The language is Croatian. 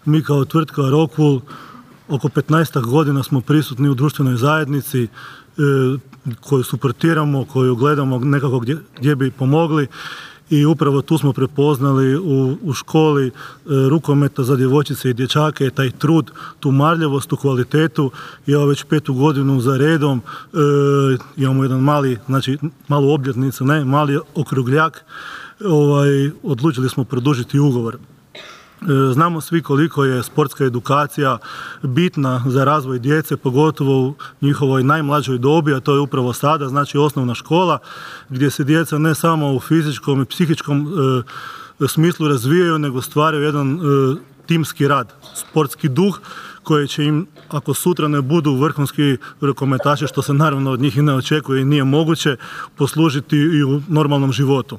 Mi kao tvrtka Rockwool oko 15 godina smo prisutni u društvenoj zajednici koju suportiramo, koju gledamo nekako gdje bi pomogli i upravo tu smo prepoznali u školi rukometa za djevojčice i dječake taj trud, tu marljivost, tu kvalitetu. I evo već 5. godinu za redom imamo jedan malu obljetnicu, mali okrugljak. Odlučili smo produžiti ugovor. Znamo svi koliko je sportska edukacija bitna za razvoj djece, pogotovo u njihovoj najmlađoj dobi, a to je upravo sada, znači osnovna škola, gdje se djeca ne samo u fizičkom i psihičkom smislu razvijaju, nego stvaraju jedan timski rad, sportski duh koji će im, ako sutra ne budu vrhunski rukometaši, što se naravno od njih i ne očekuje i nije moguće, poslužiti i u normalnom životu.